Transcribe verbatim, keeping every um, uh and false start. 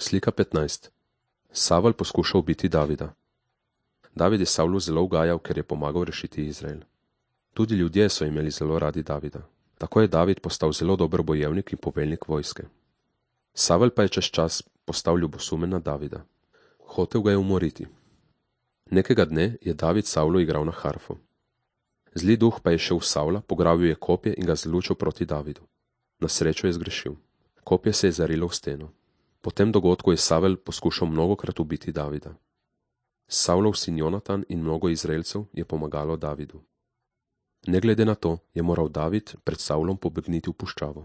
Slika petnajst. Savel poskuša ubiti Davida. David je Savlu zelo ugajal, ker je pomagal rešiti Izrael. Tudi ljudje so imeli zelo radi Davida. Tako je David postal zelo dober bojevnik in poveljnik vojske. Savel pa je čez čas postal ljubosumen na Davida. Hotel ga je umoriti. Nekega dne je David Savlu igral na harfo. Zli duh pa je šel v Savla, pograbil je kopje in ga zlučil proti Davidu. Na srečo je zgrešil. Kopje se je zarilo v steno. Po tem dogodku je Savel poskušal mnogokrat ubiti Davida. Savlov sin Jonatan in mnogo Izraelcev je pomagalo Davidu. Ne glede na to je moral David pred Savlom pobegniti v puščavo.